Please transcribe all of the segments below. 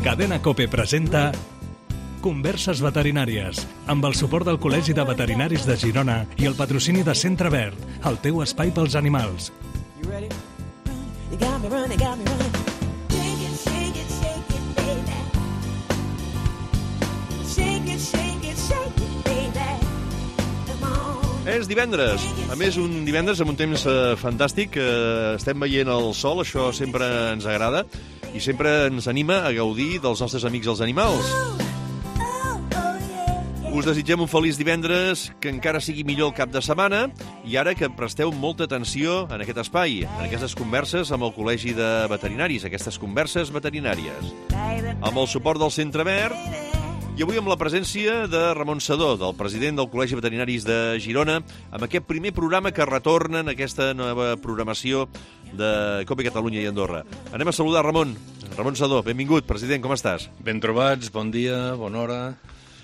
Cadena COPE presenta Converses veterinàries, amb el suport del Col·legi de Veterinaris de Girona i el patrocini de Centre Verd, el teu espai pels animals. És divendres, a més un divendres amb un temps fantàstic, estem veient el sol, això sempre ens agrada i sempre ens anima a gaudir dels nostres amics els animals. Us desitgem un feliç divendres, que encara sigui millor el cap de setmana i ara que presteu molta atenció en aquest espai, en aquestes converses amb el Col·legi de Veterinaris, aquestes converses veterinàries, amb el suport del Centre Verd. I avui amb la presència de Ramon Sedó, del president del Col·legi Veterinaris de Girona, amb aquest primer programa que retorna en aquesta nova programació de COPE Catalunya i Andorra. Anem a saludar Ramon. Ramon Sedó, benvingut, president, com estàs? Ben trobats, bon dia, bona hora.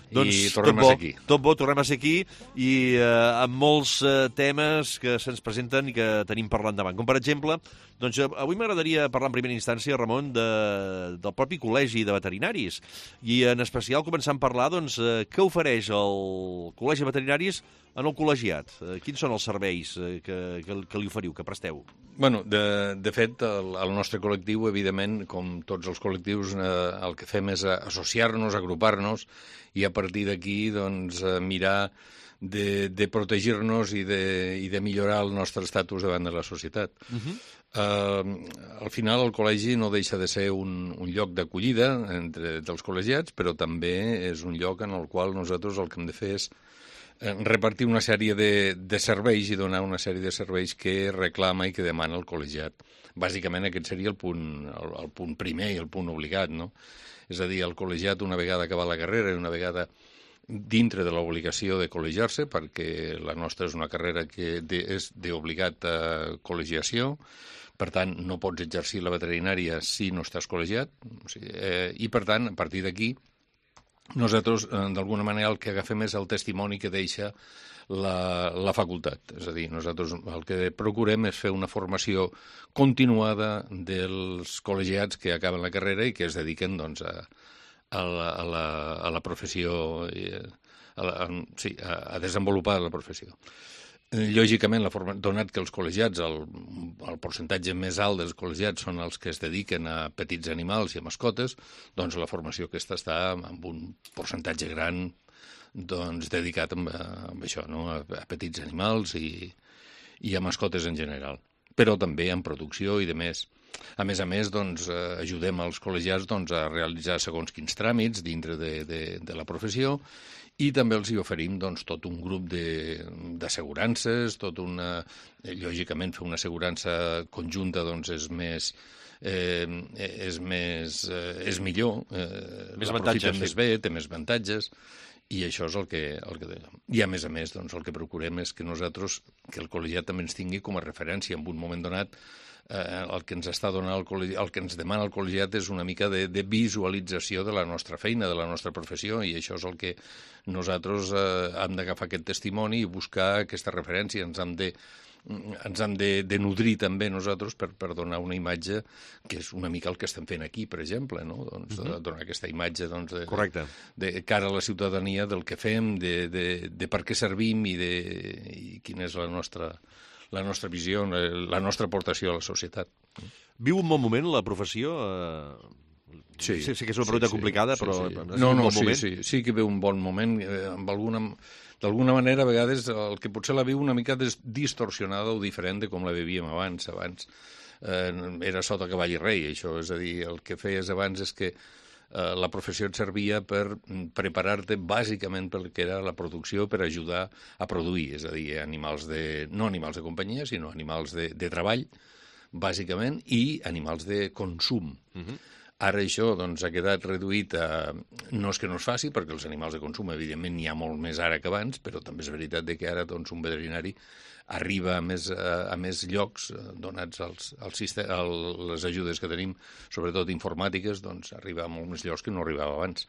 Doncs i tornem a ser aquí. Tot bo, tornem a ser aquí i amb molts temes que se'ns presenten i que tenim per endavant. Com per exemple, doncs avui m'agradaria parlar en primera instància, Ramon, del propi Col·legi de Veterinaris i en especial començant a parlar doncs, què ofereix el Col·legi de Veterinaris en el col·legiat. Quins són els serveis que li oferiu, que presteu? Bueno, de fet, el nostre col·lectiu, evidentment, com tots els col·lectius, el que fem és associar-nos, agrupar-nos i a partir d'aquí doncs, mirar de protegir-nos i de millorar el nostre estatus davant de la societat. Al final, el col·legi no deixa de ser un lloc d'acollida dels col·legiats, però també és un lloc en el qual nosaltres el que hem de fer és repartir una sèrie de serveis i donar una sèrie de serveis que reclama i que demana el col·legiat. Bàsicament aquest seria el punt primer i el punt obligat, no? És a dir, el col·legiat una vegada acabat la carrera i una vegada dintre de l'obligació de col·legiar-se, perquè la nostra és una carrera que és d'obligat col·legiació, per tant no pots exercir la veterinària si no estàs col·legiat, i per tant, a partir d'aquí, nosaltres, d'alguna manera, el que agafem és el testimoni que deixa la facultat. És a dir, nosaltres el que procurem és fer una formació continuada dels col·legiats que acaben la carrera i que es dediquen doncs, a la professió, a desenvolupar la professió. Lògicament, donat que els col·legiats, el percentatge més alt dels col·legiats són els que es dediquen a petits animals i a mascotes, doncs la formació aquesta està amb un percentatge gran doncs, dedicat a això, no? A petits animals i a mascotes en general, però també en producció i de més. A més, doncs, ajudem els col·legiats doncs, a realitzar segons quins tràmits dintre de la professió i també els hi oferim doncs, tot un grup d'assegurances, lògicament fer una assegurança conjunta doncs, és millor, l'aprofiten més bé, té més avantatges, i això és el que dèiem. I a més, doncs, el que procurem és que nosaltres, que el col·legiat també ens tingui com a referència en un moment donat. El que ens està donant el que ens demana el col·legiat és una mica de visualització de la nostra feina, de la nostra professió, i això és el que nosaltres hem d'agafar aquest testimoni i buscar aquesta referència. Ens hem de nodrir també nosaltres per donar una imatge que és una mica el que estem fent aquí, per exemple, no? Doncs, donar aquesta imatge doncs, de cara a la ciutadania del que fem, de per què servim i quina és la nostra visió, la nostra aportació a la societat. Viu un bon moment la professió? Sí, sé que és una pregunta complicada, però... Sí que viu un bon moment. D'alguna manera, a vegades, el que potser la viu una mica distorsionada o diferent de com la vivíem abans. Abans era sota cavall i rei, això. És a dir, el que feies abans és que la professió et servia per preparar-te bàsicament pel que era la producció, per ajudar a produir, és a dir, no animals de companyia, sinó animals de treball, bàsicament, i animals de consum. Ara això doncs, ha quedat reduït a... No és que no es faci, perquè els animals de consum, evidentment, n'hi ha molt més ara que abans, però també és veritat que ara doncs, un veterinari arriba a més llocs, donats les ajudes que tenim, sobretot informàtiques, doncs arriba a molts més llocs que no arribava abans.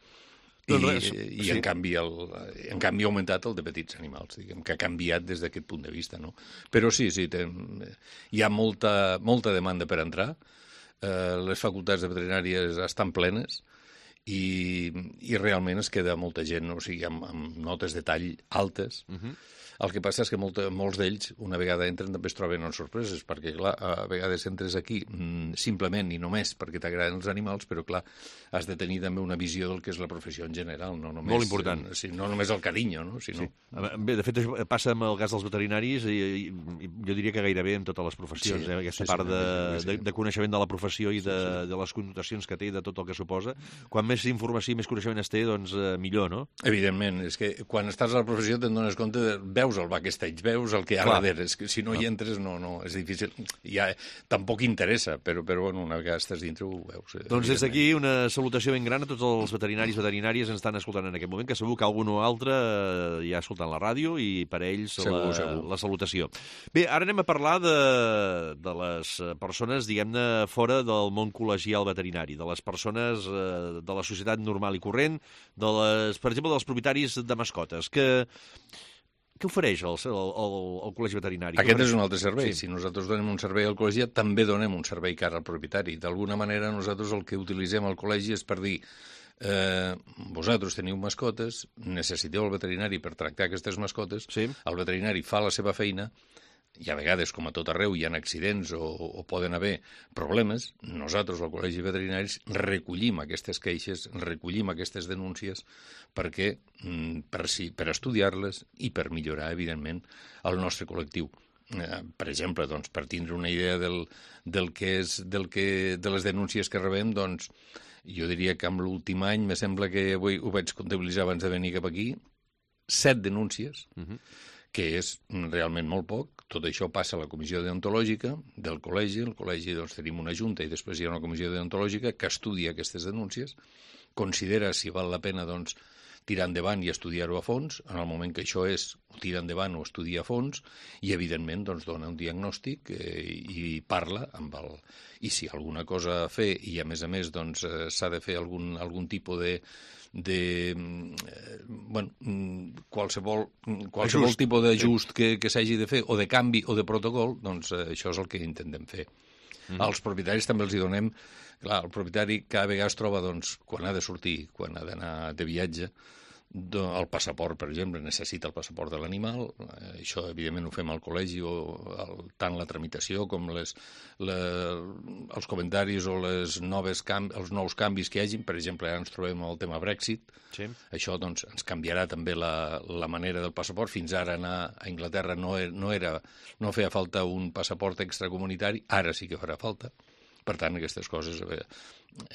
I en canvi ha augmentat el de petits animals, diguem, que ha canviat des d'aquest punt de vista, no? Però sí, hi ha molta demanda per entrar, les facultats de veterinàries estan plenes i realment es queda molta gent, o sigui, amb notes de tall altes. El que passa és que molts d'ells, una vegada entren, també es troben en sorpreses, perquè, clar, a vegades entres aquí simplement i només perquè t'agraden els animals, però, clar, has de tenir també una visió del que és la professió en general, no només... Molt important. No només el carinyo, no? Sinó... Sí. Bé, de fet, passa amb el cas dels veterinaris i jo diria que gairebé en totes les professions, aquesta part de coneixement de la professió i de les connotacions que té, de tot el que suposa. Quan més informació i més coneixement es té, doncs millor, no? Evidentment, és que quan estàs a la professió te'n dones compte veus el backstage, veus el que hi ha darrere. És que si no hi entres, no, és difícil. Ja tampoc interessa, però bueno, una vegada estàs dintre ho veus. Doncs des d'aquí una salutació ben gran a tots els veterinaris i veterinàries que ens estan escoltant en aquest moment, que segur que algun o altre ja escoltant la ràdio i per a ells segur. La salutació. Bé, ara anem a parlar de les persones, diguem-ne, fora del món col·legial veterinari, de les persones de la societat normal i corrent, per exemple, dels propietaris de mascotes, Què ofereix el Col·legi Veterinari? Aquest és un altre servei. Sí. Si nosaltres donem un servei al col·legi, també donem un servei cara al propietari. D'alguna manera, nosaltres el que utilitzem al col·legi és per dir vosaltres teniu mascotes, necessiteu el veterinari per tractar aquestes mascotes, el veterinari fa la seva feina, i a vegades, com a tot arreu, hi ha accidents o poden haver problemes, nosaltres, al Col·legi de Veterinaris, recollim aquestes queixes, recollim aquestes denúncies per estudiar-les i per millorar, evidentment, el nostre col·lectiu. Per exemple, doncs, per tindre una idea de les denúncies que rebem, doncs, jo diria que en l'últim any, me sembla que avui ho vaig comptabilitzar abans de venir cap aquí, 7 denúncies, que és realment molt poc. Tot això passa a la comissió deontològica del col·legi. El col·legi doncs, tenim una junta i després hi ha una comissió deontològica que estudia aquestes denúncies, considera si val la pena doncs, tirar endavant i estudiar-ho a fons. En el moment que això és, ho tira endavant o estudia a fons i, evidentment, doncs, dona un diagnòstic i parla amb el... I si alguna cosa a fer i, a més, doncs, s'ha de fer algun tipus qualsevol tipus d'ajust que s'hagi de fer, o de canvi o de protocol, doncs això és el que intentem fer. Als propietaris també els hi donem... Clar, el propietari cada vegada es troba, doncs, quan ha de sortir, quan ha d'anar de viatge, el passaport, per exemple, necessita el passaport de l'animal. Això, evidentment, ho fem al col·legi, tant la tramitació com els comentaris o els nous canvis que hi hagin. Per exemple, ara ens trobem amb el tema Brexit. Sí. Això doncs, ens canviarà també la manera del passaport. Fins ara anar a Anglaterra no feia falta un passaport extracomunitari, ara sí que farà falta. Per tant, aquestes coses...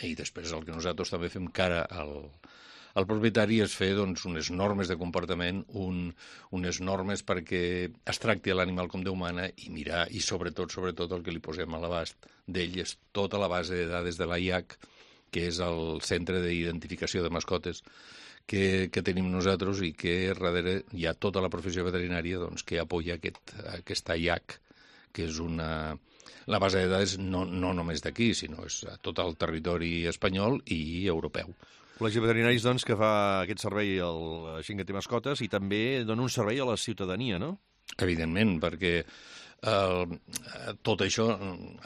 I després el que nosaltres també fem cara al propietari és fer doncs, unes normes de comportament, unes normes perquè es tracti l'animal com Déu mana i mirar, i sobretot el que li posem a l'abast d'ell és tota la base de dades de l'AIAC, que és el centre d'identificació de mascotes que tenim nosaltres i que darrere hi ha tota la professió veterinària doncs, que apoya aquesta AIAC, que és la base de dades no només d'aquí, sinó és a tot el territori espanyol i europeu. Col·legi de Veterinaris, doncs, que fa aquest servei a la gent que té mascotes i també dona un servei a la ciutadania, no? Evidentment, perquè tot això,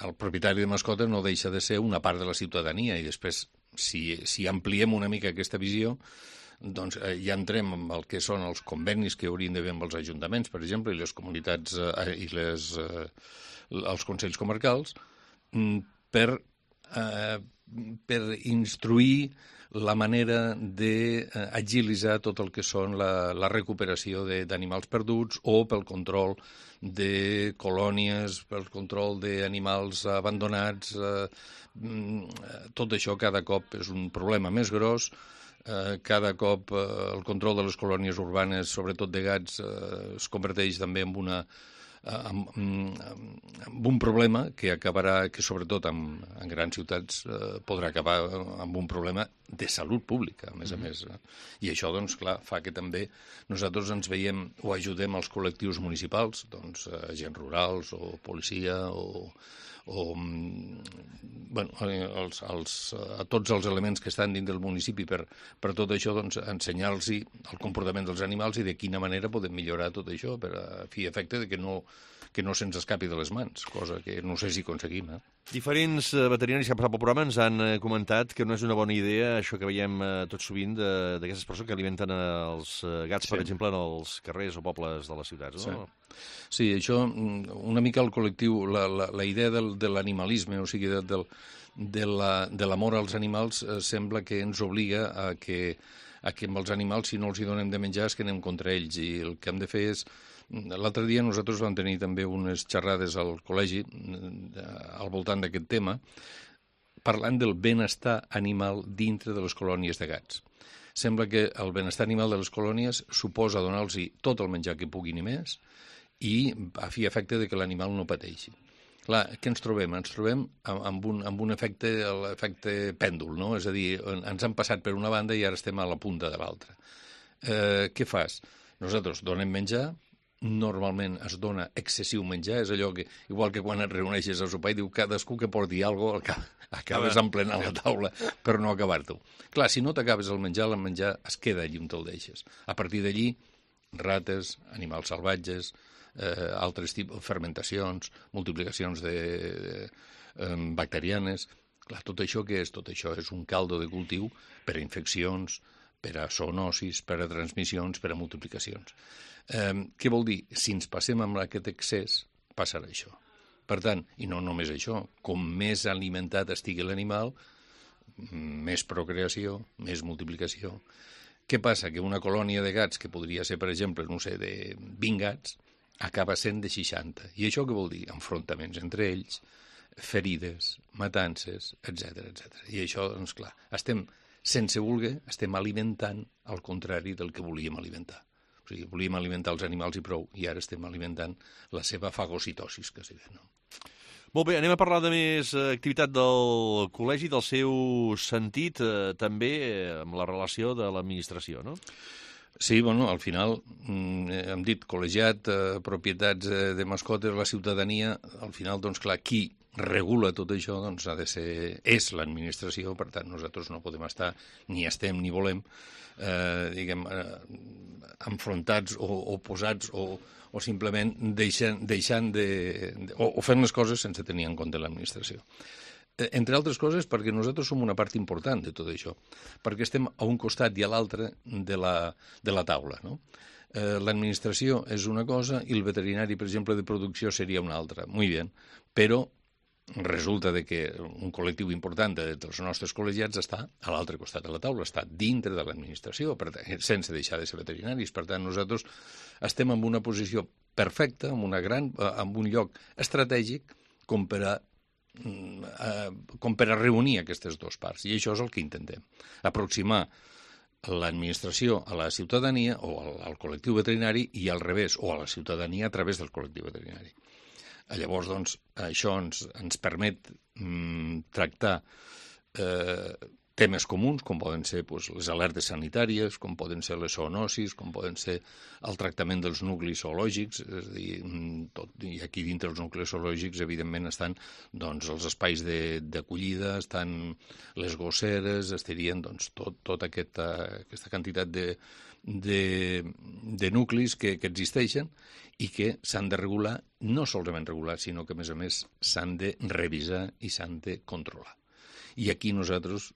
el propietari de mascotes no deixa de ser una part de la ciutadania i després, si ampliem una mica aquesta visió, doncs ja entrem amb el que són els convenis que haurien d'haver amb els ajuntaments, per exemple, i les comunitats i els consells comarcals, per instruir la manera d'agilitzar tot el que són la recuperació d'animals perduts o pel control de colònies, pel control d'animals abandonats. Tot això cada cop és un problema més gros. Cada cop el control de les colònies urbanes, sobretot de gats, es converteix també en un problema que acabarà, que sobretot en grans ciutats podrà acabar amb un problema de salut pública, a més a més. I això, doncs, clar, fa que també nosaltres ens veiem o ajudem els col·lectius municipals, doncs, agents rurals o policia a tots els elements que estan dins del municipi per tot això, doncs, ensenyar-los el comportament dels animals i de quina manera podem millorar tot això per a fi efecte de que no que no se'ns escapi de les mans, cosa que no sé si aconseguim. Diferents veterinaris que han passat pel programa ens han comentat que no és una bona idea això que veiem tot sovint d'aquestes persones que alimenten els gats, per exemple, en els carrers o pobles de les ciutats, no? Sí, això, una mica el col·lectiu, la idea de l'animalisme, o sigui, de l'amor als animals, sembla que ens obliga a que amb els animals, si no els hi donem de menjar, és que anem contra ells, i el que hem de fer és... L'altre dia nosaltres vam tenir també unes xerrades al col·legi al voltant d'aquest tema, parlant del benestar animal dintre de les colònies de gats. Sembla que el benestar animal de les colònies suposa donar-los tot el menjar que puguin i més, i a fi efecte de que l'animal no pateixi. Clar, què ens trobem? Ens trobem amb un efecte, l'efecte pèndol, no? És a dir, ens han passat per una banda i ara estem a la punta de l'altra. Què fas? Nosaltres donem menjar, normalment es dona excessiu menjar, és allò que, igual que quan et reuneixes a sopar i diu cadascú que porti alguna cosa, acabes emplenant la taula per no acabar-t'ho. Clar, si no t'acabes el menjar es queda allí on te'l deixes. A partir d'allí, rates, animals salvatges, altres tipus, fermentacions, multiplicacions bacterianes. Clar, tot això què és? Tot això és un caldo de cultiu per a infeccions, per a zoonosis, per a transmissions, per a multiplicacions. Què vol dir? Si ens passem amb aquest excés, passarà això. Per tant, i no només això, com més alimentat estigui l'animal, més procreació, més multiplicació. Què passa? Que una colònia de gats, que podria ser, per exemple, no sé, de 20 gats, acaba sent de 60. I això què vol dir? Enfrontaments entre ells, ferides, matances, etc. I això, doncs clar, sense voler, estem alimentant al contrari del que volíem alimentar. O sigui, volíem alimentar els animals i prou, i ara estem alimentant la seva fagocitosis, que s'hi ve, no? Molt bé, anem a parlar de més activitat del col·legi, del seu sentit, també amb la relació de l'administració, no? Sí, bueno, al final hem dit col·legiat, propietats de mascotes, la ciutadania, al final, doncs clar, qui regula tot això, doncs ha de ser, és l'administració, per tant, nosaltres no podem estar, ni estem ni volem, diguem, enfrontats o oposats o simplement deixant o fent les coses sense tenir en compte l'administració. Entre altres coses perquè nosaltres som una part important de tot això, perquè estem a un costat i a l'altre de la taula, no? L'administració és una cosa i el veterinari, per exemple, de producció seria una altra. Muy bien, però resulta de que un col·lectiu important dels nostres col·legiats està a l'altre costat de la taula, està dintre de l'administració, sense deixar de ser veterinaris. Per tant, nosaltres estem en una posició perfecta, en un lloc estratègic com per a reunir aquestes dues parts. I això és el que intentem, aproximar l'administració a la ciutadania o al col·lectiu veterinari i al revés, o a la ciutadania a través del col·lectiu veterinari. Llavors, doncs, això ens permet tractar temes comuns, com poden ser les alertes sanitàries, com poden ser les zoonosis, com poden ser el tractament dels nuclis zoològics, és a dir, i aquí dintre els nuclis zoològics, evidentment, estan doncs, els espais d'acollida, estan les gosseres, estarien doncs, tota aquesta quantitat de nuclis que existeixen i que s'han de regular, no solament regular, sinó que, a més, s'han de revisar i s'han de controlar. I aquí nosaltres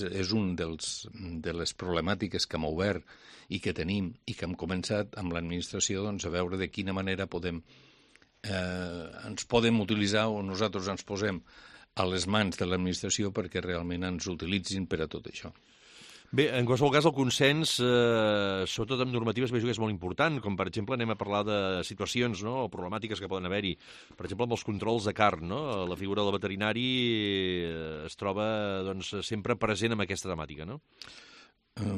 és un de les problemàtiques que hem obert i que tenim i que hem començat amb l'administració doncs, a veure de quina manera ens podem utilitzar o nosaltres ens posem a les mans de l'administració perquè realment ens utilitzin per a tot això. Bé, en qualsevol cas, el consens, sobretot amb normatives, veig que és molt important, com per exemple anem a parlar de situacions, no?, o problemàtiques que poden haver-hi. Per exemple, amb els controls de carn, no? La figura del veterinari es troba doncs, sempre present en aquesta temàtica, no?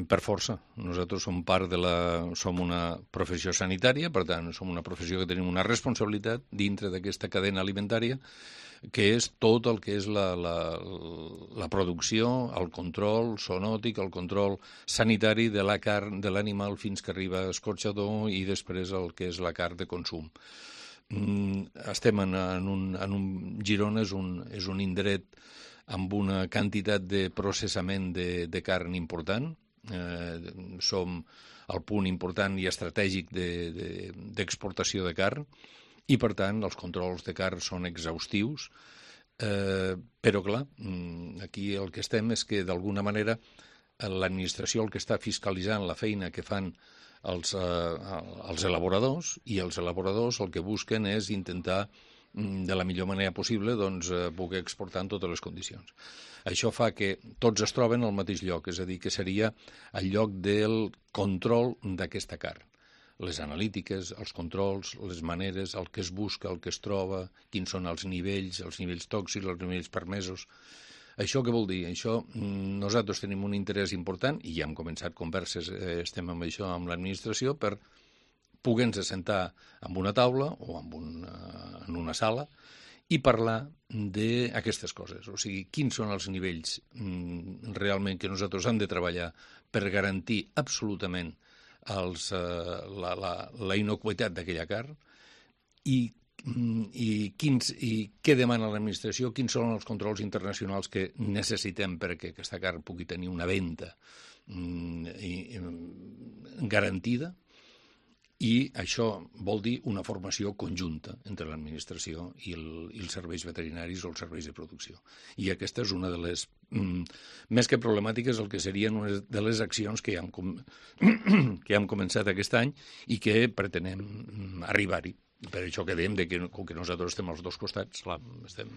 Per força. Nosaltres som una professió sanitària, per tant, som una professió que tenim una responsabilitat dintre d'aquesta cadena alimentària, que és tot el que és la producció, el control zoonòtic, el control sanitari de la carn de l'animal fins que arriba a escorxador i després el que és la carn de consum. Estem Girona és un indret amb una quantitat de processament de carn important. Som el punt important i estratègic d'exportació de carn i, per tant, els controls de car són exhaustius, però, clar, aquí el que estem és que, d'alguna manera, l'administració el que està fiscalitzant la feina que fan els elaboradors, i els elaboradors el que busquen és intentar de la millor manera possible poder exportar en totes les condicions. Això fa que tots es troben al mateix lloc, és a dir, que seria el lloc del control d'aquesta carn. Les analítiques, els controls, les maneres, el que es busca, el que es troba, quins són els nivells tòxics, els nivells permesos. Això què vol dir? Nosaltres tenim un interès important, i ja hem començat converses, estem amb això amb l'administració, per poder-nos assentar en una taula o en una sala i parlar d'aquestes coses. O sigui, quins són els nivells realment que nosaltres hem de treballar per garantir absolutament la inocuitat d'aquella carn i què demana l'administració, quins són els controls internacionals que necessitem perquè aquesta carn pugui tenir una venda garantida. I això vol dir una formació conjunta entre l'administració i els serveis veterinaris o els serveis de producció. I aquesta és una de les, més que problemàtiques, el que serien una de les accions que ja hem començat aquest any i que pretenem arribar-hi. Per això que dèiem que com que nosaltres estem als dos costats, clar, estem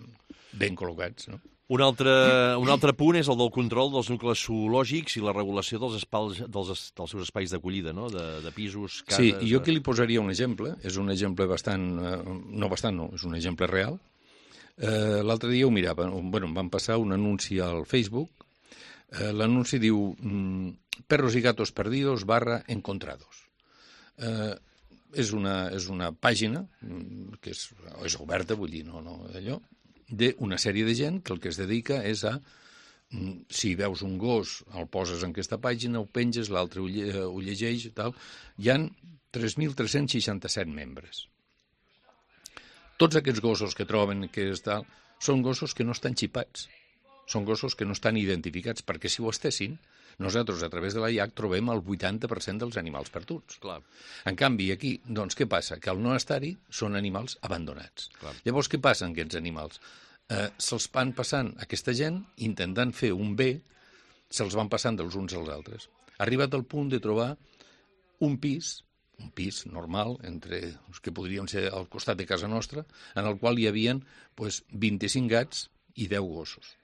ben col·locats, no? Un altre punt és el del control dels nuclis zoològics i la regulació dels seus espais d'acollida, no? De pisos, cases... Sí, jo aquí li posaria un exemple. És un exemple és un exemple real. L'altre dia ho mirava. Em van passar un anunci al Facebook. L'anunci diu perros y gatos perdidos / encontrados. És una pàgina que és oberta, vull dir, no allò, d'una sèrie de gent que el que es dedica és a, si veus un gos, el poses en aquesta pàgina, ho penges, l'altre ho llegeix i tal. Hi ha 3.367 membres. Tots aquests gossos que troben són gossos que no estan xipats, són gossos que no estan identificats, perquè si ho estessin, nosaltres, a través de la IAC, trobem el 80% dels animals perduts. Clar. En canvi, aquí, doncs, què passa? Que al no estar-hi són animals abandonats. Clar. Llavors, què passa amb aquests animals? Se'ls van passant aquesta gent, intentant fer un bé, se'ls van passant dels uns als altres. Ha arribat al punt de trobar un pis normal, entre els que podrien ser al costat de casa nostra, en el qual hi havia 25 gats i 10 gossos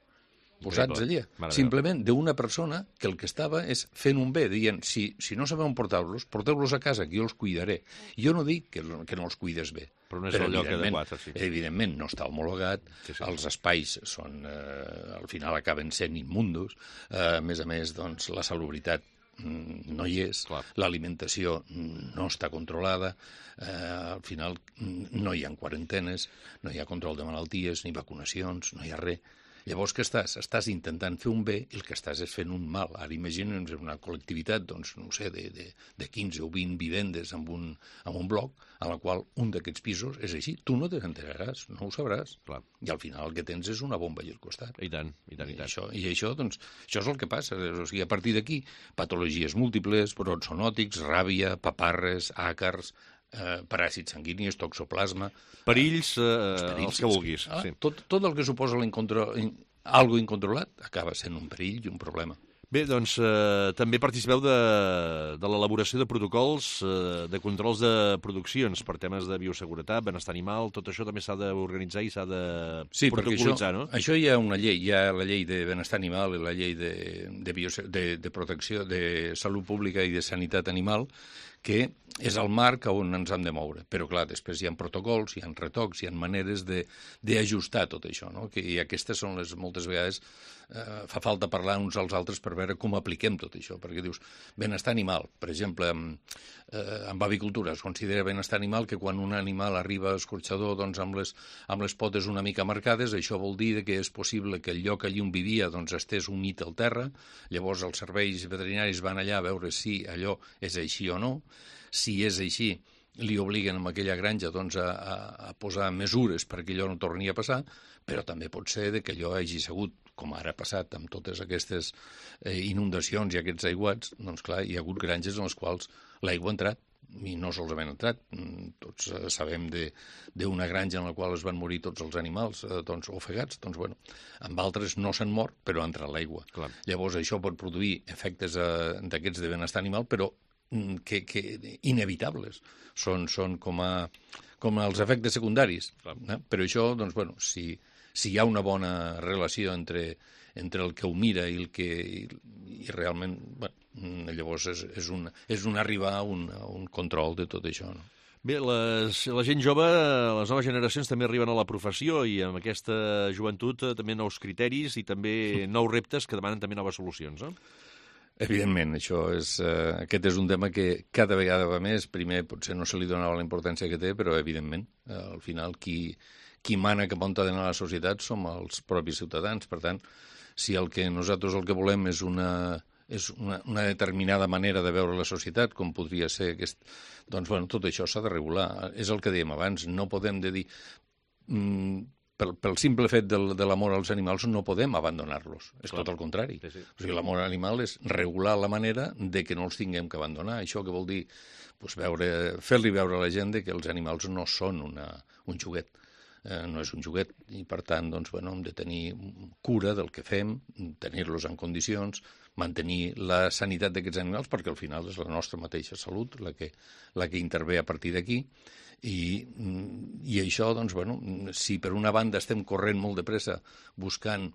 posats allà, simplement d'una persona que el que estava és fent un bé, dient, si no sabeu portar-los, porteu-los a casa, que jo els cuidaré. Jo no dic que no els cuides bé, però no és el lloc adequat. Evidentment, no està homologat, els espais al final acaben sent immundos, a més, doncs, la salubritat no hi és, l'alimentació no està controlada, al final no hi ha quarantenes, no hi ha control de malalties, ni vacunacions, no hi ha res. Llavors, què estàs? Estàs intentant fer un bé i el que estàs és fent un mal. Ara imaginem una col·lectivitat, doncs, no sé, de 15 o 20 vivendes en un bloc, a la qual un d'aquests pisos és així. Tu no te n'enteraràs, no ho sabràs. Clar. I al final el que tens és una bomba allà al costat. I tant. I això, doncs, això és el que passa. O sigui, a partir d'aquí, patologies múltiples, brots zoonòtics, ràbia, paparres, àcars, paràsits sanguinis, toxoplasma... Perills, els que vulguis. Sí. Tot el que suposa algo incontrolat acaba sent un perill i un problema. Bé, doncs també participeu de l'elaboració de protocols de controls de produccions per temes de bioseguretat, benestar animal, tot això també s'ha d'organitzar i s'ha de protocolitzar, no? Això hi ha una llei, hi ha la llei de benestar animal i la llei de protecció de salut pública i de sanitat animal, que és el marc on ens hem de moure. Però, clar, després hi ha protocols, hi ha retocs, hi ha maneres d'ajustar tot això, no? I aquestes són moltes vegades fa falta parlar uns als altres per veure com apliquem tot això, perquè dius, benestar animal, per exemple, amb avicultura es considera benestar animal que quan un animal arriba a escorxador doncs, amb les potes una mica marcades, això vol dir que és possible que el lloc allí on vivia doncs, estés unit al terra, llavors els serveis veterinaris van allà a veure si allò és així o no. Si és així, li obliguen amb aquella granja doncs, a posar mesures perquè allò no torni a passar, però també pot ser que allò hagi sigut, com ara ha passat amb totes aquestes inundacions i aquests aiguats, doncs clar, hi ha hagut granges en les quals l'aigua ha entrat i no sols han entrat. Tots sabem d'una granja en la qual es van morir tots els animals ofegats. Doncs, bueno, amb altres no s'han mort, però ha entrat l'aigua. Llavors, això pot produir efectes d'aquests de benestar animal, però que inevitables. Són com els efectes secundaris. Però això, doncs, bueno, si hi ha una bona relació entre el que ho mira i el que realment, bueno, llavors és un arribar a un control de tot això, no? Bé, la gent jove, les noves generacions també arriben a la professió i amb aquesta joventut també nous criteris i també nous reptes que demanen també noves solucions, no? Evidentment, aquest és un tema que cada vegada va més. Primer potser no se li donava la importància que té, però evidentment, al final, qui mana cap on ha d'anar la societat som els propis ciutadans. Per tant, si nosaltres el que volem és una determinada manera de veure la societat, com podria ser doncs, bueno, tot això s'ha de regular. És el que dèiem abans, no podem dir... Pel simple fet de l'amor als animals no podem abandonar-los. És tot el contrari. O sigui, l'amor a l'animal és regular la manera de que no els tinguem que abandonar. Això que vol dir fer-li veure a la gent que els animals no són un joguet. No és un joguet i, per tant, doncs, bueno, hem de tenir cura del que fem, tenir-los en condicions, mantenir la sanitat d'aquests animals, perquè al final és la nostra mateixa salut la que intervé a partir d'aquí. I això, doncs, bueno, si per una banda estem corrent molt de pressa buscant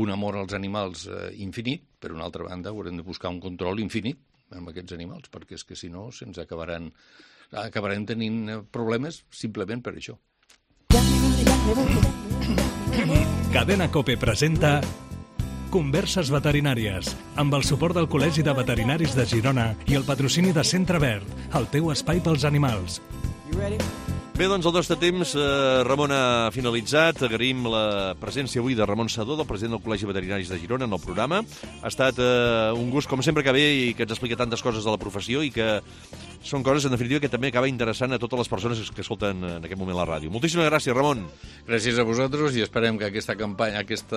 un amor als animals infinit, per una altra banda haurem de buscar un control infinit amb aquests animals, perquè és que si no se'ns acabarem tenint problemes simplement per això. Cadena COPE presenta Converses veterinàries, amb el suport del Col·legi de Veterinaris de Girona i el patrocini de Centre Verd, el teu espai pels animals. Bé, doncs el nostre temps, Ramon, ha finalitzat. Agraïm la presència avui de Ramon Sedó, del president del Col·legi Veterinaris de Girona, en el programa. Ha estat un gust, com sempre, que ve i que ens explica tantes coses de la professió i que són coses, en definitiva, que també acaba interessant a totes les persones que escolten en aquest moment la ràdio. Moltíssimes gràcies, Ramon. Gràcies a vosaltres i esperem que aquesta campanya, aquest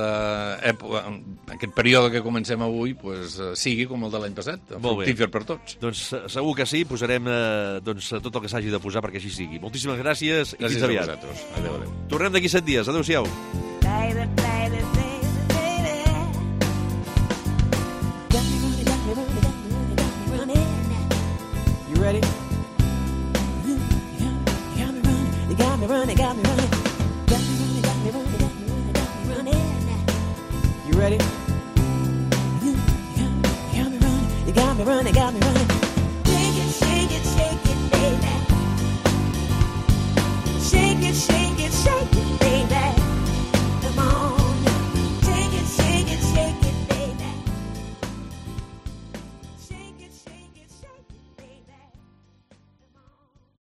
període que comencem avui, sigui com el de l'any passat, fructífer per tots. Doncs segur que sí, posarem tot el que s'hagi de posar perquè així sigui. Moltíssimes gràcies i fins aviat. Gràcies a vosaltres. Adéu, adéu. Tornem d'aquí 7 dies. Adéu-siau. You ready? You got me running. You ready? You got me running.